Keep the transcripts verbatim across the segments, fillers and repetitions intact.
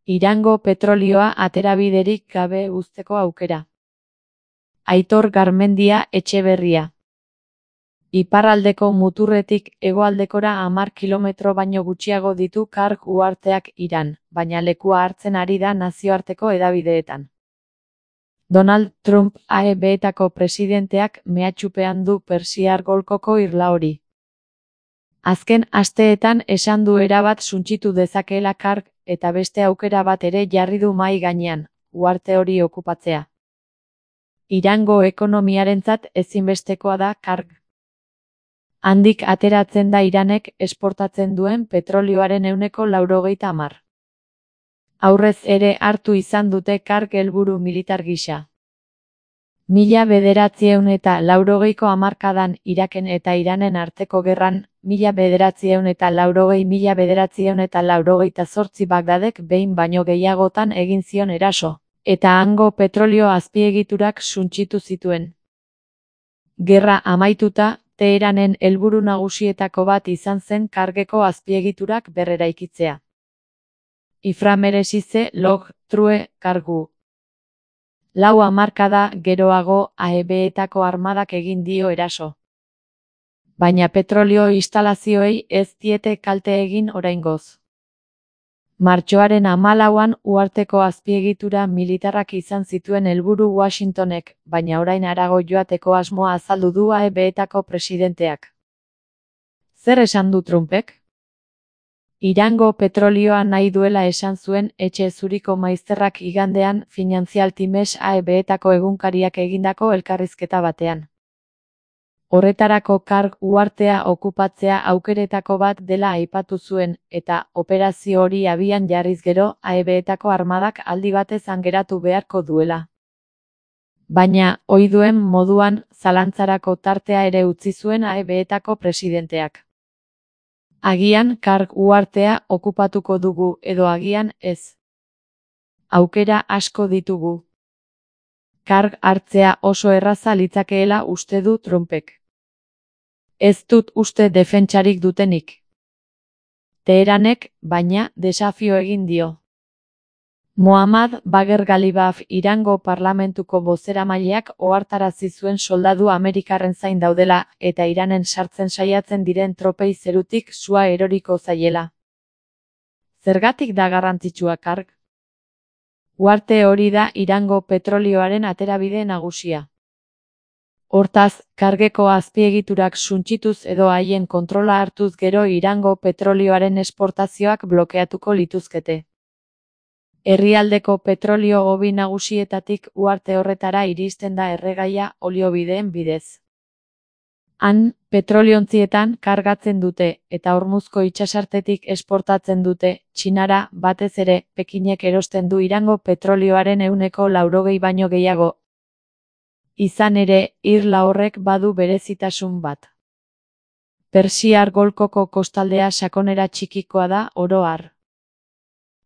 Irango petrolioa aterabiderik gabe uzteko aukera. Aitor Garmendia Etxeberria. Iparraldeko muturretik hegoaldekora hamar kilometro baino gutxiago ditu Karg uharteak Iran, baina lekua hartzen ari da nazioarteko hedabideetan. Donald Trump A E B-etako presidenteak mehatxupean du Persiar Golkoko irla hori. Azken asteetan esan du erabat suntsitu dezakeela Karg, eta beste aukera bat ere jarri du mahai gainean, uharte hori okupatzea. Irango ekonomiarentzat ezinbestekoa da Karg. Handik ateratzen da Iranek esportatzen duen petrolioaren ehuneko laurogeita hamar. Aurrez ere hartu izan dute Karg helburu militar gisa. Mila bederatziehun eta laurogeiko hamarkadan Iraken eta Iranen arteko gerran, mila bederatziehun eta laurogei mila bederatziehun eta laurogeita zortzi Bagdadek behin baino gehiagotan egin zion eraso, eta hango petrolio azpiegiturak suntsitu zituen. Gerra amaituta, Teheranen helburu nagusietako bat izan zen Kargeko azpiegiturak berreraikitzea. Iframeresize log, true, kargu. Lau hamarkada geroago A E B-etako armadak egin dio eraso. Baina petrolio instalazioei ez diete kalte egin oraingoz. Martxoaren hamalauan uharteko azpiegitura militarrak izan zituen helburu Washingtonek, baina orain harago joateko asmoa azaldu du A E B-etako presidenteak. Zer esan du Trumpek? Irango petrolioa nahi duela esan zuen Etxe Zuriko maizterrak igandean Financial Times A E B-etako egunkariak egindako elkarrizketa batean. Horretarako Karg uhartea okupatzea aukeretako bat dela aipatu zuen, eta operazio hori abian jarriz gero A E B-etako armadak aldi batez geratu beharko duela. Baina, ohi duen moduan, zalantzarako tartea ere utzi zuen A E B-etako presidenteak. Agian Karg uhartea okupatuko dugu edo agian ez. Aukera asko ditugu. Karg hartzea oso erraza litzakeela uste du Trumpek. Ez dut uste defentsarik dutenik. Teheranek, baina, desafio egin dio. Mohammad Bagher Ghalibaf Irango parlamentuko bozeramaileak ohartarazi zuen soldadu Amerikarren zain daudela eta Iranen sartzen saiatzen diren tropei zerutik sua eroriko zaiela. Zergatik da garrantzitsua Karg? Uharte hori da Irango petrolioaren aterabide nagusia. Hortaz, Kargeko azpiegiturak suntsituz edo haien kontrola hartuz gero Irango petrolioaren esportazioak blokeatuko lituzkete. Herrialdeko petrolio hobi nagusietatik uharte horretara iristen da erregaia oliobideen bidez. Han, petroliontzietan kargatzen dute eta Hormuzko itsasartetik esportatzen dute, Txinara, batez ere, Pekinek erosten du Irango petrolioaren ehuneko laurogei baino gehiago. Izan ere, irla horrek badu berezitasun bat. Persiar Golkoko kostaldea sakonera txikikoa da oro har.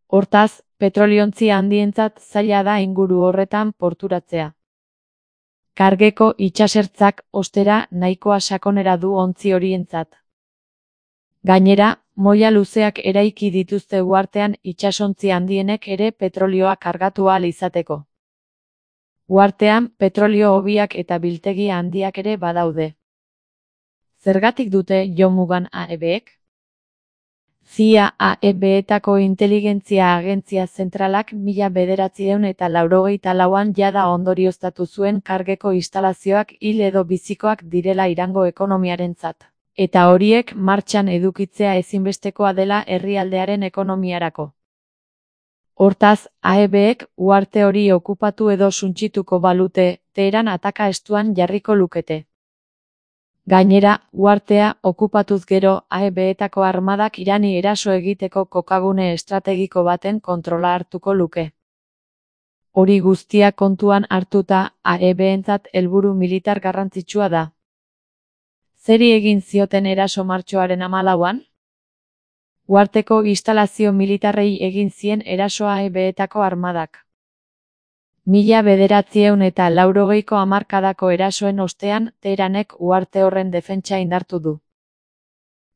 Hortaz, petroliontzi handientzat zaila da inguru horretan porturatzea. Kargeko itsasertzak, ostera, nahikoa sakonera du ontzi horientzat. Gainera, moila luzeak eraiki dituzte uhartean itsasontzi handienek ere petrolioa kargatu ahal izateko. Uhartean, petrolio hobiak eta biltegi handiak ere badaude. Zergatik dute jomugan A E B-ek? C I A A E B-etako inteligentzia agentzia zentralak mila bederatziehun eta laurogeita lauan jada ondorioztatu zuen Kargeko instalazioak hil edo bizikoak direla Irango ekonomiarentzat, eta horiek martxan edukitzea ezinbestekoa dela herrialdearen ekonomiarako. Hortaz, A E B-ek uharte hori okupatu edo suntsituko balute, Teheran ataka estuan jarriko lukete. Gainera, uhartea okupatuz gero A E B-etako armadak Irani eraso egiteko kokagune estrategiko baten kontrola hartuko luke. Hori guztia kontuan hartuta A E B-entzat helburu militar garrantzitsua da. Zeri egin zioten eraso martxoaren hamalauan? Uharteko instalazio militarrei egin zien eraso A E B-etako armadak. Mila bederatziehun eta laurogeiko hamarkadako erasoen ostean, Teheranek uharte horren defentsa indartu du.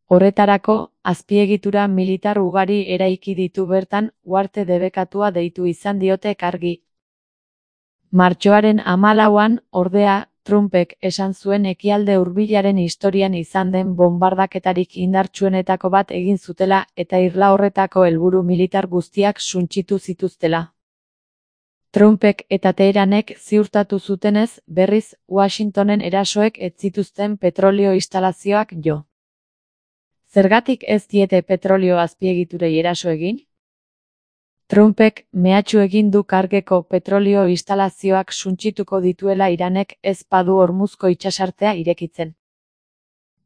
Horretarako, azpiegitura militar ugari eraiki ditu bertan, uharte debekatua deitu izan diote argi. Martxoaren hamalauan, ordea, Trumpek esan zuen ekialde hurbilaren historian izan den bonbardaketarik indartsuenetako bat egin zutela eta irla horretako helburu militar guztiak suntsitu zituztela. Trumpek eta Teheranek ziurtatu zutenez, berriz, Washingtonen erasoek ez zituzten petrolio instalazioak jo. Zergatik ez diete petrolio azpiegiturei eraso egin? Trumpek mehatxu egin du kargeko petrolio instalazioak suntsituko dituela Iranek ez badu Hormuzko itsasartea irekitzen.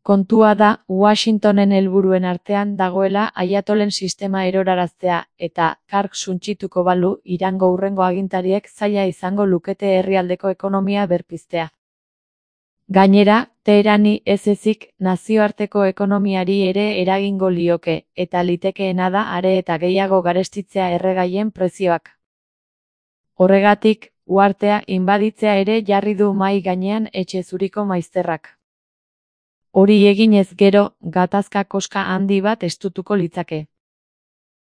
Kontua da, Washingtonen helburuen artean dagoela Ayatolen sistema eroraraztea, eta, karg suntsituko balu, Irango hurrengo agintariek zaila izango lukete herrialdeko ekonomia berpiztea. Gainera, Teherani ez ezik nazioarteko ekonomiari ere eragingo lioke, eta litekeena da are eta gehiago garestitzea erregaien prezioak. Horregatik, uhartea inbaditzea ere jarri du mahai gainean etxe zuriko maizterrak. Hori eginez gero, gatazka koska handi bat estutuko litzake.